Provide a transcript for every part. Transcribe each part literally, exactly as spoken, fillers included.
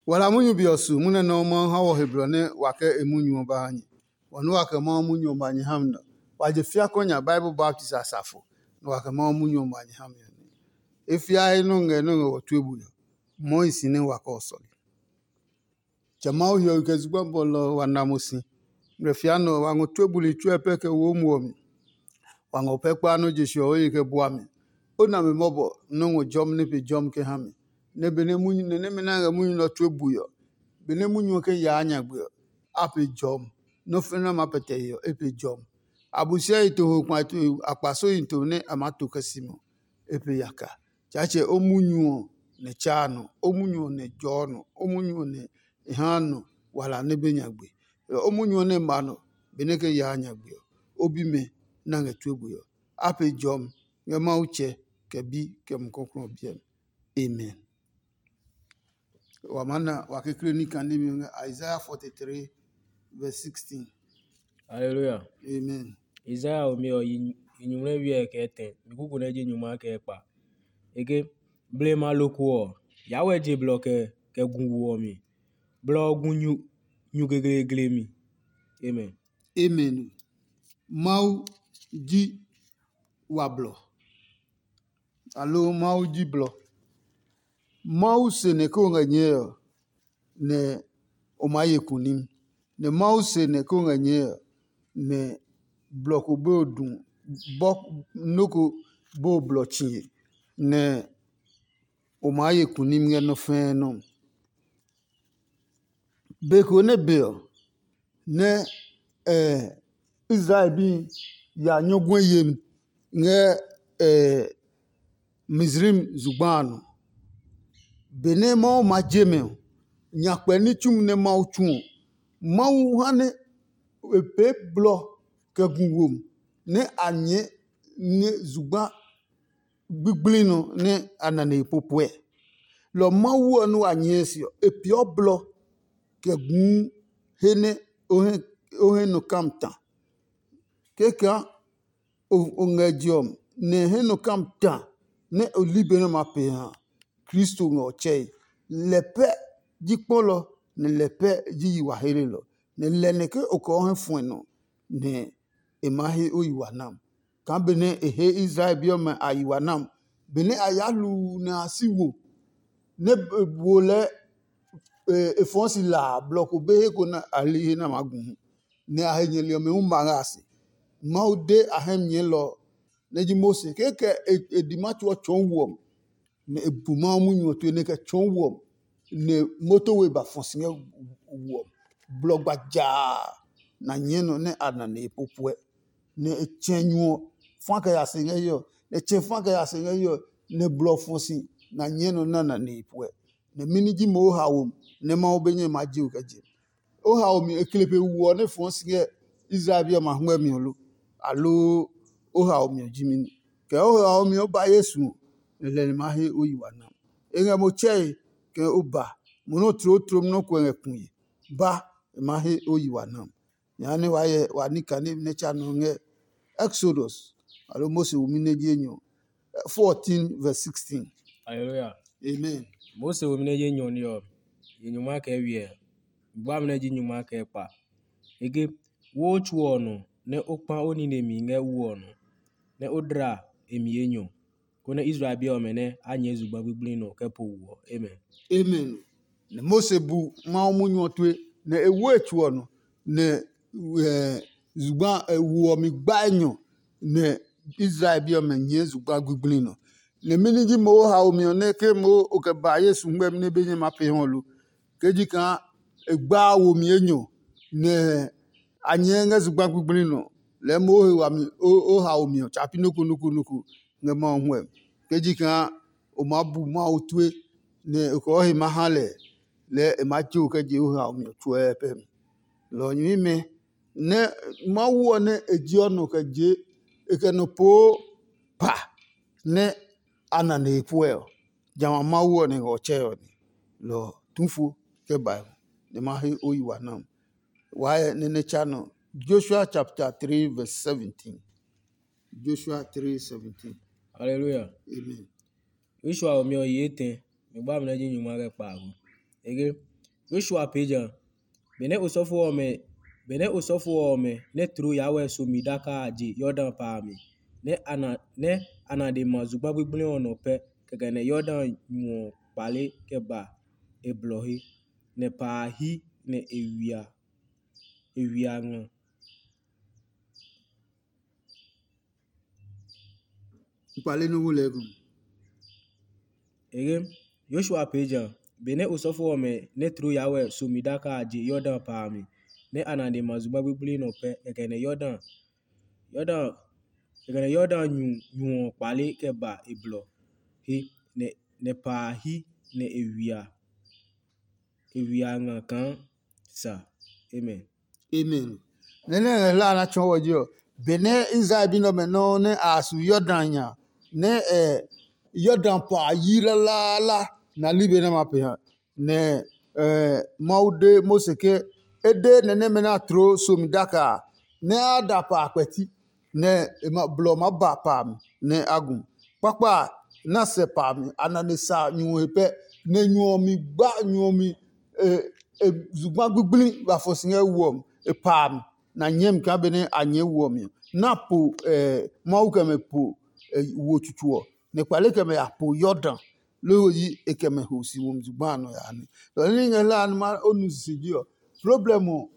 Wala munyu be ɔ su munyu nɛ Mawu ha wɔ he blɔ nɛ wa kɛ e munyu ɔ ba ha nyɛ. Wɔ nɛ wa kɛ Mawu munyu ɔ ba nyɛ ha mi nɛ wa je fiakɔ nya Bible baptist asafo, nɛ wa kɛ Mawu munyu ɔ ba nyɛ ha mi ɔ nɛ. E fiae nɔ ngɛ nɔ ngɛ wɔ tue bui ɔ, mɔɔ hi si nɛ wa kɛ ɔ sɔle. Tsɛ Mawu hiɔwe kɛ zugba bɔlɔ ɔ wa na mo si. Ngmlɛ fia nɛ ɔ, wa ngɔ tue buli tsuɛ pɛ kɛ wo muɔ mi. Wa ngɔ pɛ kpaa nɔ́ je se ɔ, o ye kɛ bua mi. O na mi mɔbɔ nɔ́ ngɔ jɔmi nɛ pe jɔmi kɛ ha mi. Nɛ benɛ munyu nɛ nɛmɛ nɛ a ngɛ munyu nɛ ɔ tue bui ɔ, benɛ munyu ɔ kɛ yaa nyagbe ɔ, a pe jɔmi. Nɔ́ fɛnɛ nɛ a maa pɛtɛ he ɔ, e pe jɔmi. Abosiahi toho kpa akpasohi to nɛ a maa to kɛ si mɔ, e pe yaka. Tsaatsɛ o munyu ɔ nɛ tsaa nɔ, o munyu ɔ nɛ jɔɔ nɔ, o munyu ɔ nɛ e haa nɔ wala nɛ be nyagbe. O munyu ɔ nɛ ma nɔ benɛ kɛ yaa nyagbe ɔ, o bimɛ nɛ a ngɛ tue bui ɔ. A pe jɔmi ngɛ Mawu Tsɛ, kɛ Bi, kɛ Mumi Klɔuklɔu ɔ biɛ mi. Amen. Wa maa na wa kekle ní kane mi ngɛ Isaiah forty-three verse sixteen. Hallelujah. Amen. Isaiah ɔ mi ɔ yi nyuŋmlɛ wiɛ kɛ tɛ mi kuku nɛ ji nyuma kɛ kpa. Eke blema loko ɔ ya wɛ je blɔ kɛ kɛ gu wo ɔ mi. Blɔ ɔ gu nyu nyu geglegle mi. Amen. Amen. Mawu ji wa blɔ. Aloo Mawu ji blɔ. Mawu se nɛ ke o ngɛ nyɛɛ ɔ, nɛ o maa ye kunim. Nɛ Mawu se nɛ ke o ngɛ nyɛɛ ɔ, nɛ blɔ ko be o du bɔ nɔ́ ko be o blɔ tsiye, nɛ o maa ye kunim ngɛ nɔ́ fɛɛ nɔ́. Be ko nɛ be ɔ, nɛ Israel bi ya nyɔguɛ yemi ngɛ Mizraim zugba a nɔ. Benɛ Mawu ma je mɛ ɔ, nyakpɛ ní tsumi nɛ Mawu tsu ɔ, Mawu ha nɛ e pee blɔ kɛ gu womi nɛ a nyɛɛ nɛ zugba gbigblin nɔ nɛ a na nihi popoɛ. Lɔ Mawu ɔ nɛ wa nyɛɛ se ɔ, e peeɔ blɔ kɛ guu he nɛ o hɛ nɔ kam ta. Kɛkaa o ngɛ je ɔ nɛ he nɔ kam ta nɛ o li be nɛ ma pee ha Kristo ngɛ ɔ tsɛe. Lɛ pɛ ji kpɔlɔ, nɛ lɛ pɛ ji yi wa helelɔ, nɛ lɛ nɛ ke o kɛ o hɛ fuɛ nɔ nɛ e maa he o yi wa nam. Kaa benɛ e he Israel bi ɔmɛ a yi wa nam, benɛ a yaa hluu nɛ a si wo nɛ wo lɛɛ e fɔɔ si la a, blɔ ko be he ko nɛ a li he nɛ a maa gu hu, nɛ a he nyɛli ɔmɛ hu ma ngɛ a se. Mawu de a hɛ mi nyɛlɔ ɔ, nɛ ji Mose, kɛkɛ e di ma tsuɔ tsɔɔ wuɔ mi, nɛ e bu Mawu munyu ɔ tue nɛ e kɛ tsɔɔ wuɔ mi, nɛ moto we ba fɔ si ngɛ wuɔ mi. Blɔ gba jaa na nyɛɛ nɔ nɛ a na nɛ e popoɛ, nɛ e tsɛ nyu ɔ fa kɛ ya se ngɛ hiɛ ɔ, nɛ e tsɛ fa kɛ ya se ngɛ hiɛ ɔ, nɛ blɔ fɔ si na nyɛɛ nɔ nɛ a na nɛ e poɛ. Nɛ mɛni ji mo o haomi nɛ Mawu be nyɛ ma je o kɛ je? O haomi e kle pe wu ɔ nɛ fɔɔ si ngɛ Israel bi ɔmɛ a huɛ mi ɔ lo? Aloo o haomi ɔ ji mɛni? Kɛ o haomi ɔ ba Yesu ɔ, nɛ lɛ nɛ ma he o yi wa nam. E ngɛ mo tsɛe kɛ o ba, mo nɛ o tloo tlom nɔ́ ko ngɛ kue. Ba, e ma he o yi wa nam. Jehanɛ wa hyɛ wa ní kane nɛ tsa nɔ ngɛ Exodus, aloo Mose wumi nɛ ji enyɔ, fourteen verse sixteen. Hallelujah. Amen. Mose wumi nɛ ji enyɔ ní ɔ, yi nyuma kɛ wiɛ, bua mi nɛ ji nyuma kɛ kpa. Ege, wo tsu ɔ nɔ nɛ o kpa o nine mi ngɛ wu ɔ nɔ, nɛ o dla e mi enyɔ, konɛ Israel bi ɔmɛ nɛ a nyɛɛ zugba gbigblin nɔ kɛ po wu ɔ. Amen. Amen. Nɛ Mose bu Mawu munyu ɔ tue, nɛ e wo e tsu ɔ nɔ, nɛ zugba wu ɔ mi gba enyɔ, nɛ Israel bi ɔmɛ nyɛɛ zugba gbigblin nɔ. Nɛ mɛni ji mo haomi ɔ nɛ ke mo o kɛ ba Yesu ngmɛmi nɛ be nyɛ ma pee hɔ lo? Ke ji kaa e gbaa wo mi enyɔ, nɛ a nyɛɛ ngɛ zugba gbigblin nɔ, lɛɛ mo he wami o haomi ɔ tsa pi noko noko noko ngɛ Mawu huɛ. Ke ji kaa o maa bu Mawu tue, nɛ e kɔɔ he ma ha lɛ, lɛɛ e maa tso kɛ je o haomi ɔ tsuɛ pɛ mi. Lɔ ɔ nyɛmimɛ nɛ Mawu ɔ nɛ e ji ɔ nɔ kɛ je e kɛ nɔ poo pa nɛ a na nɛ e puɛ ɔ, jamɛ a Mawu ɔ nɛ ngɛ ɔ tsɛɛ ɔ ni. Lɔ ɔ, tu fo kɛ bae nɛ ma he o yi wa nam. Waa hyɛ nɛ nɛ tsa nɔ. Joshua chapter three verse seventeen. Joshua three seventeen. Hallelujah. Amen. Joshua ɔ mi ɔ yi etɛ, mi gba mi nɛ ji nyuma kɛ kpaago. Ege, Yosua pee ja. Benɛ osɔfo ɔmɛ benɛ osɔfo ɔmɛ nɛ tloo yaa wɛ somi daka a je Yordan pa a mi, nɛ a na nɛ a na de ma zugba gbigble ɔ nɔ pɛ, kɛkɛ nɛ Yordan nyu ɔ kpale kɛ ba e blɔ he, nɛ pa a hi nɛ e wia e wia nga. Kpale nɔ́ wo lɛɛ gu. Ege, Yosua pee ja. Benɛ osɔfo ɔmɛ nɛ tloo yaa wɛ somi daka a je Yordan pa a mi, nɛ a na nɛ ma zugba gbigble nɔ pɛ, kɛkɛ nɛ Yordan Yordan kɛkɛ nɛ Yordan nyu nyu ɔ kpale kɛ ba e blɔ he, nɛ nɛ pa a hi nɛ e wia e wia nga kaa sa. Amen. Amen. Nɛ nɛ ngɛ hlaa na tsɔɔ wɔ ji ɔ, benɛ Israel bi nɛ ɔmɛ nɔuu nɛ a su Yordan nya, nɛ ɛ Yordan pa a yi lalaala na ligbe nɛ ma pee ha. Nɛ ɛ Mawu de Mose ke e de nɛ nɛmɛ nɛ a tloo somi daka a, nɛ a da pa a kpɛti, nɛ e ma blɔ maa ba pa a mi nɛ a gu. Kpakpa a na sɛ pa a mi, a na nɛ sa nyu ɔ he pɛ, nɛ nyu ɔ mi gba nyu ɔ mi e e zugba gbigble ba fɔ si ngɛ wu ɔ mi, e pa a mi, nɛ a nyɛɛ mi kaa benɛ a nyɛɛ wu ɔ mi ɔ, nɛ a po ɛ Mawu kɛ mɛ po ɛ wo tsutsu ɔ, nɛ kpale kɛ mɛ ya po Yordan. Loo yi e kɛ mɛ ho si womi zugba a nɔ ya ne. Lɔ ní ngɛ hla a numa o nu sisi ji ɔ, problem ɔ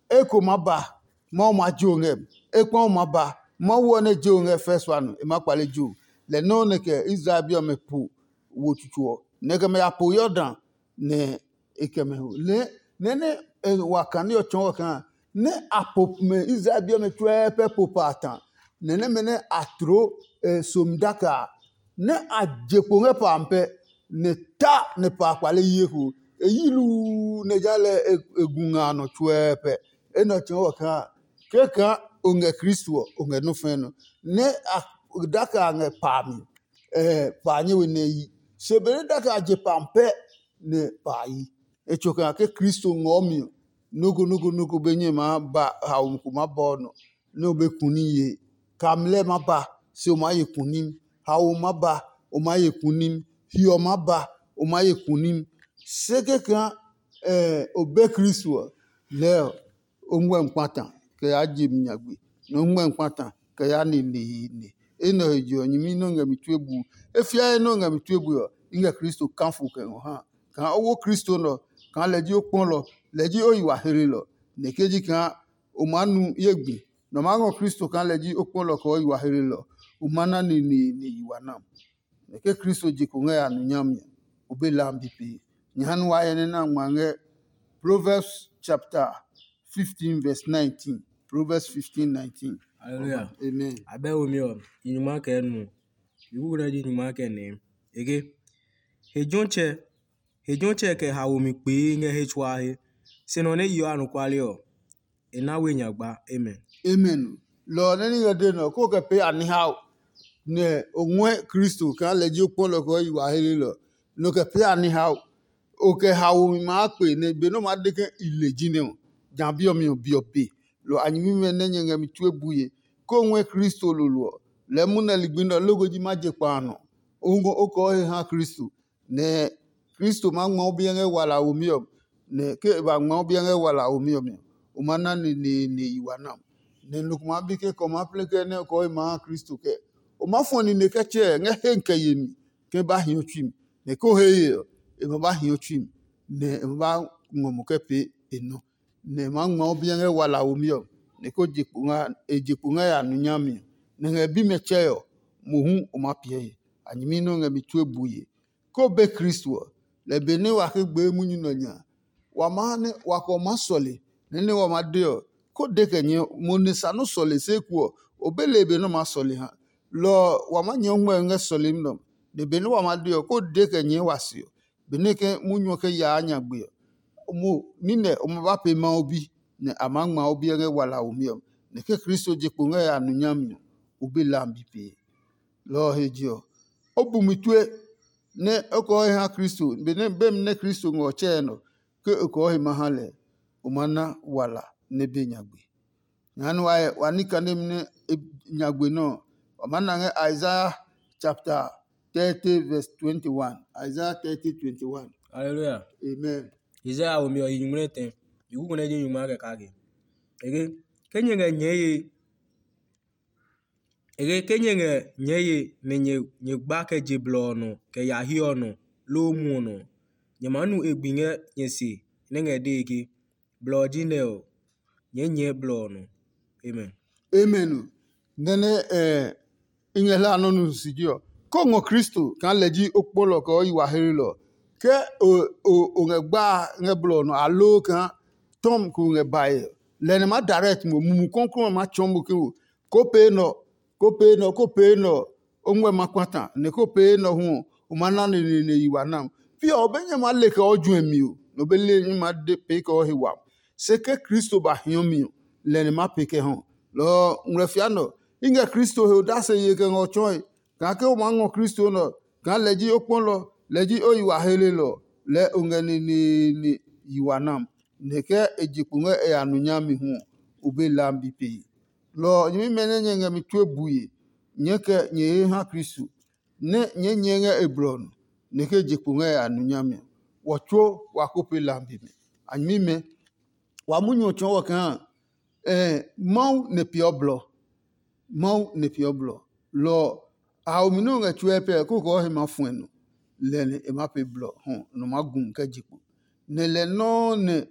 eko ma ba, Mawu ma jo ngɛ mi. Ekpɔ ma ba, Mawu ɔ nɛ jo ngɛ first one e ma kpale jo. Lɛ nɔuu nɛ kɛ Israel bi ɔmɛ po wo tsutsu ɔ, nɛ kɛ mɛ ya po Yordan, nɛ e kɛ mɛ ho. Nɛ nɛ nɛ e wa kane ɔ tsɔɔ ɔ kaa nɛ a po mɛ Israel bi ɔmɛ tsuɛ pɛ po pa a ta. Nɛ nɛmɛ nɛ a tloo e somi daka a, nɛ a je kpo ngɛ pa amɛ pɛ, nɛ ta nɛ pa a kpale yi eko. E yi luu nɛ ja lɛ e gu nga a nɔ tsuɛ pɛ. Enɛ ɔ tsɔɔ ɔ kaa kɛkaa o ngɛ Kristo ɔ, o ngɛ nɔ́ fɛ̃ nɔ. Nɛ a daka a ngɛ pa a mi, pa a nyɛ we nɛ yi. Se benɛ daka a je pa amɛ pɛ nɛ pa a yi. E tso kaa ke Kristo ngɔɔ mi ɔ, noko noko noko be nyɛ maa ba haomi ko ma bɔ nɔ. Nɛ o be kuni ye. Kamlɛ ma ba, se o maa ye kunim. Haomi ma ba, o maa ye kunim. Hiɔ ma ba, o maa ye kunim. Se kɛkaa o be Kristo ɔ, lɛɛ ɔ, o ngmɛmi kpata kɛ yaa je mi nyagbe, nɛ o ngmɛmi kpata kɛ yaa neneene. Enɛ he je ɔ, nyɛmi nɛ o ngɛ mi tue bu. E fiae nɛ o ngɛ mi tue bu ɔ, i ngɛ Kristo kafo kɛ ngɔ ha. Kaa o wo Kristo nɛ ɔ, kaa lɛ ji o kpɔlɔ, lɛ ji o yi wa hlelɔ. Nɛ ke ji kaa o maa nu ye gbi, nɛ o maa ngɔ Kristo kaa lɛ ji o kpɔlɔ kɛ o yi wa hlelɔ, o ma na neneene yi wa na. Nɛ ke Kristo je kpo ngɛ ya nu nyami ɔ, o be lambi pee. Nyɛ ha nɛ wa hyɛ nɛ na ngma ngɛ Proverbs chapter fifteen verse nineteen. Proverbs fifteen nineteen. Hallelujah. Amen. Abɛ wo mi ɔ, nyuma kɛ nu. Iwu na ji nyuma kɛ nɛ. Ege. He jɔtsɛ, he jɔtsɛ kɛ haomi kpee ngɛ he tsuaa he. Se nɔ nɛ yeɔ anɔkuale ɔ, e na we nyagba. Amen. Amen. Lɔ ɔ nɛ ní ngɛ de nɔ ko kɛ pee anihao nɛ o ngɔɛ Kristo kaa lɛ ji o kpɔlɔ kɛ o yi wa helelɔ. Nɔ kɛ pee anihao o kɛ haomi maa kpe nɛ be nɛ o maa de ke i le ji nɛ ɔ, ja bi ɔ mi ɔ bi ɔ be. Lɔ a nyɛmimɛ nɛ nyɛ ngɛ mi tue bue ko ngɔɛ Kristo lolo ɔ, lɛɛ munɛ ligbi nɛ ɔ loko ji ma je kpa a nɔ. O ngɔ o kɔɔ he ha Kristo, nɛ Kristo maa ngma o biɛ ngɛ wala a womi ɔ, nɛ ke e ba ngma o biɛ ngɛ wala a womi ɔ mi ɔ, o ma na neneene yi wa na. Nɛ nɔ ko maa bi ke kɛ o maa plɛ kɛ nɛ o kɔɔ he ma ha Kristo kɛ. O maa fɔ nine kɛ tsɛɛ ngɛ he kɛ yemi ke ba hi o tsui mi, nɛ ko he ye ɔ, e ma ba hi o tsui mi, nɛ e ma ba ngɔ mo kɛ pee e nɔ. Nɛ e maa ngma o biɛ ngɛ wala a womi ɔ, nɛ ko je kpo nga e je kpo ngɛ ya nu nyami ɔ, nɛ ngɛ bimɛ tsɛe ɔ, mohu o maa piɛ he. A nyɛmi nɛ o ngɛ mi tue bue. Ko be Kristo ɔ, lɛ benɛ wa ke gbee munyu nɛ ɔ nya, wa maa ha nɛ wa kɛ o maa sɔle, nɛ nɛ wa maa de ɔ, ko de kɛ nyɛɛ mo ne sa nɔ́ sɔle se eko ɔ, o be le be nɛ o maa sɔle ha. Lɔ ɔ, wa maa nyɛɛ o ngmɛmi ngɛ sɔlemi nɛ ɔ, nɛ benɛ wa maa de ɔ, ko de kɛ nyɛɛ wa se ɔ. Benɛ ke munyu ɔ ke yaa nyagbe ɔ, mo nine o ma ba pee Mawu bi, nɛ a maa ngma o biɛ ngɛ wala a womi ɔ. Nɛ ke Kristo je kpo ngɛ ya nu nyami ɔ, o be lambi pee. Lɔ ɔ he je ɔ, o bu mi tue nɛ o kɔɔ he ha Kristo, benɛ bemi nɛ Kristo ngɛ ɔ tsɛɛ nɔ, ke o kɔɔ he ma ha lɛ, o ma na wala nɛ be nyagbe. Jehanɛ wa, wa ní kanemi nɛ e nyagbe nɛ ɔ, wa maa na ngɛ Isaiah chapter thirty verse twenty-one. Isaiah thirty twenty-one. Hallelujah. Amen. Isaiah womi ɔ yi nyumu nɛ tɛ, yi kuku nɛ ji nyumu a kɛ kake. Ege, ke nyɛ ngɛ nyɛɛ ye, ege ke nyɛ ngɛ nyɛɛ ye nɛ nyɛ nyɛ gba kɛ je blɔ ɔ nɔ kɛ ya hiɛ ɔ nɔ loo mu ɔ nɔ, nyɛ maa nu e gbi ngɛ nyɛ se nɛ ngɛ dee ke, blɔ ɔ ji nɛ ɔ, nyɛɛ nyɛɛ blɔ ɔ nɔ. Amen. Amen. Nɛnɛ eh, i ngɛ hla nɔ nu sisi ji ɔ. Ko ngɔ Kristo kaa lɛ ji o kpɔlɔ kɛ o yi wa hlelɔ. Ke o o o ngɛ gba ngɛ blɔ ɔ nɔ aloo kaa tɔm ko ngɛ bae, lɛ nɛ ma direct mo mumu kɔnkɔn ma tsɔɔ mo ke wo ko pee nɔ, ko pee nɔ, ko pee nɔ, o ngmɛ ma kpata nɛ ko pee nɔ hu ɔ, o ma na neneene yi wa nam. Pi ɔ, o be nyɛ ma le kɛ o juɛ mi o, nɔ be le nyɛ ma de pee kɛ o he wami. Se ke Kristo ba hiɔ mi ɔ, lɛ nɛ ma pee kɛ hɔ. Lɔ ɔ ngmlɛ fia nɔ, i ngɛ Kristo he odase ye kɛ ngɔ tsɔɔe, kaa ke o maa ngɔ Kristo nɛ ɔ, kaa lɛ ji o kpɔlɔ, lɛ ji o yi wa helelɔ, lɛɛ o ngɛ neneene yi wa nam. Nɛ ke e je kpo ngɛ e ya nu nyami hu ɔ, o be lambi pee. Lɔ ɔ, nyɛmimɛ nɛ nyɛ ngɛ mi tue bue, nyɛɛ kɛ nyɛ he ha Kristo, nɛ nyɛɛ nyɛɛ ngɛ e blɔ ɔ nɔ, nɛ ke je kpo ngɛ e ya nu nyami ɔ. Wɔ tsuo wa ko pee lambi mɛ. A nyɛmimɛ, wa munyu ɔ tsɔɔ wɔ kaa Mawu nɛ peeɔ blɔ. Mawu nɛ peeɔ blɔ. Lɔ ɔ, a haomi nɛ o ngɛ tsuɛ pɛ kókɔɔ he ma fuɛ nɔ, lɛ nɛ e ma pee blɔ hɔ nɔ maa gu kɛ je kpo. Nɛ lɛ nɔuu nɛ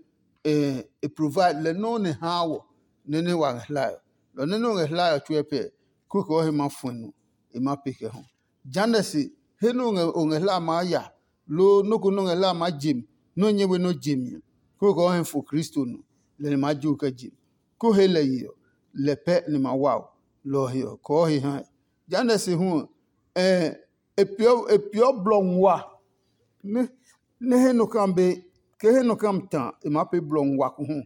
e provide, lɛ nɔuu nɛ haa wɔ nɛ nɛ wa ngɛ hlae ɔ. Lɔ nɛ nɛ o ngɛ hlae ɔ tsuɛ pɛ kókɔɔ he ma fuɛ nɔ, e ma pee kɛ hɔ. Jehanɛ se, he nɛ o ngɛ o ngɛ hlae maa ya, loo nɔ́ ko nɛ o ngɛ hlae maa je mi, nɛ o nyɛ we nɛ o je mi ɔ, kókɔɔ he fo Kristo nɔ, lɛ nɛ maa jo kɛ je mi. Ko he lɛ ye ɔ, lɛ pɛ nɛ ma wa o, lɔ ɔ he ɔ, kɔɔ he ha ɛ. Jehanɛ se hu ɔ, e peeɔ blɔ nguaa nɛ he nɔ kam be, ke he nɔ kam ta e maa pee blɔ nguaa ko hu,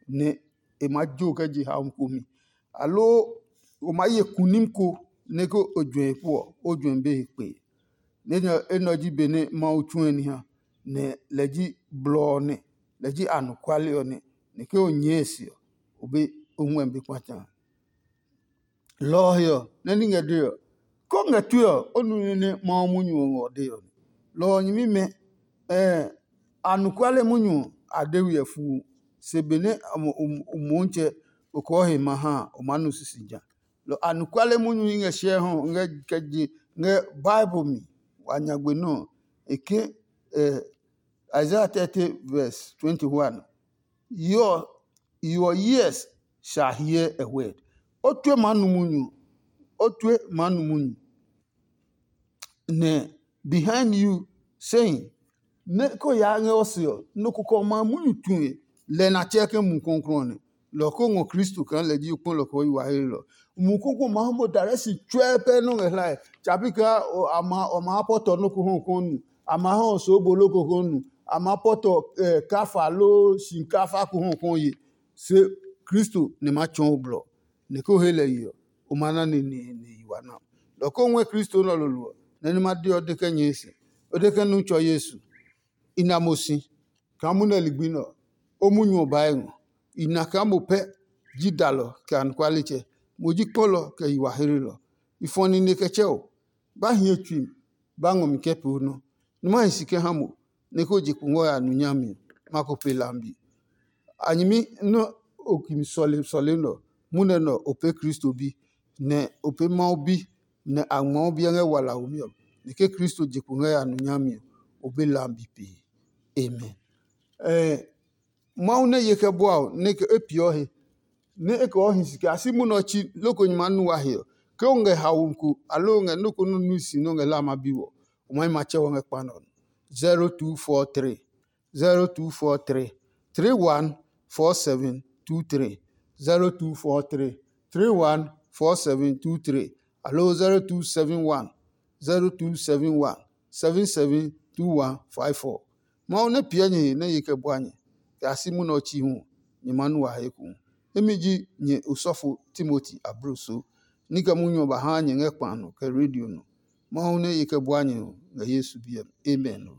nɛ e maa jo kɛ je haomi ko mi. Aloo o maa ye kunim ko nɛ ke o juɛ he pu ɔ, o juɛ be he kpee. Enɛ ɔ ji be nɛ Mawu tsuɛ ní ha, nɛ lɛ ji blɔ ɔ nɛ, lɛ ji anɔkuale ɔ nɛ, nɛ ke o nyɛɛ e se ɔ, o be o huɛ be kpata. Lɔ ɔ he ɔ, nɛ ní ngɛ dee ɔ, ko ngɛ tue ɔ, o nu nɛ Mawu munyu ɔ ngɛ o dee ɔ. Lɔ ɔ nyɛmimɛ, anɔkuale munyu ɔ, a de we ɔ fuu, se benɛ Motsɛ o kɔɔ he ma ha a, o maa nu sisija. Lɔ anɔkuale munyu i ngɛ hyɛ hɔ ngɛ kɛ je ngɛ Bible mi wa nyagbe nɔ́ ɔ, e ke Isaiah thirty verse twenty-one. Your your ears shall hear a word. O tue maa nu munyu. O tue maa nu munyu. Nɛ behind you saying, nɛ ko yaa ngɛ o se ɔ, nɔ ko kɛ o ma munyu tue, lɛ na tsɛ ke mu kɔnkɔn nɛ. Lɔ ko ngɔ Kristo kaa lɛ ji o kpɔlɔ kɛ o yi wa he lɔ. Mu koko ma ha mo dare si tsɔɛ pɛ nɔ ngɛ hlae. Tsapi kaa a ma a ma pɔtɔ nɔ ko hɔ kɔn nu. A ma hɔ so bolo ko hɔ nu. A ma pɔtɔ kafa loo shinkafa ko hɔ kɔn ye. Se Kristo ne ma tsɔɔ o blɔ. Nɛ ko he lɛ ye ɔ, o ma na neneene yi wa na. Lɔ ko ngɔɛ Kristo nɛ ɔ lolo ɔ, nɛ nɛ ma de ɔ de kɛ nyɛɛ si. O de kɛ nu tsɔ Yesu. I na mo si kaa munɛ ligbi nɛ ɔ, o munyu ɔ baa ngɔ. I na kaa mo pɛ ji dalɔ kɛ anɔkualetsɛ. Mo ji kpɔlɔ kɛ yi wa hlelɔ. I fɔ nine kɛ tsɛ o. Ba hiɛ tsui mi, ba ngɔ mi kɛ pee o nɔ. Nɛ ma hi si kɛ ha mo, nɛ ko je kpo ngɔ ya nu nyami ɔ, ma ko pe lambi. A nyɛmi nɛ o ki mi sɔle sɔle nɛ ɔ, munɛ nɛ ɔ, o pee Kristo bi, nɛ o pee Mawu bi, nɛ a ngmɔɔ biɛ ngɛ walaho mi ɔ, nɛ ke Kristo je kpo ngɛ ya nu nyami ɔ, o be lambi pee. Amen. Ɛɛ Mawu nɛ ye kɛ bua o, nɛ ke e piɔ he, nɛ e kɛ ɔ hi si kɛ a si munɛ ɔ tsi loko nyɛ maa nu wa he ɔ, ke o ngɛ haomi ko aloo o ngɛ nɔ́ ko nɔ́ nui si nɛ o ngɛ hlama bi wɔ, o maa yi ma tsɛ wɔ ngɛ kpa nɛ ɔ nɔ. zero two four three zero two four three three one four seven two three zero two four three three one four seven two three aloo zero two seven one zero two seven one seven seven two one five four. Mawu nɛ piɛ nyɛ he nɛ ye kɛ bua nyɛ kɛ a si munɛ ɔ tsi hu, nyɛ maa nu wa he eko. Imi ji nyɛ osɔfo Timoti abloso, ní kɛ munyu ɔ ba haa nyɛ ngɛ kpa nɔ kɛ redio nɔ. Mawu nɛ ye kɛ bua nyɛ ɔ ngɛ Yesu biɛ mi. Amen.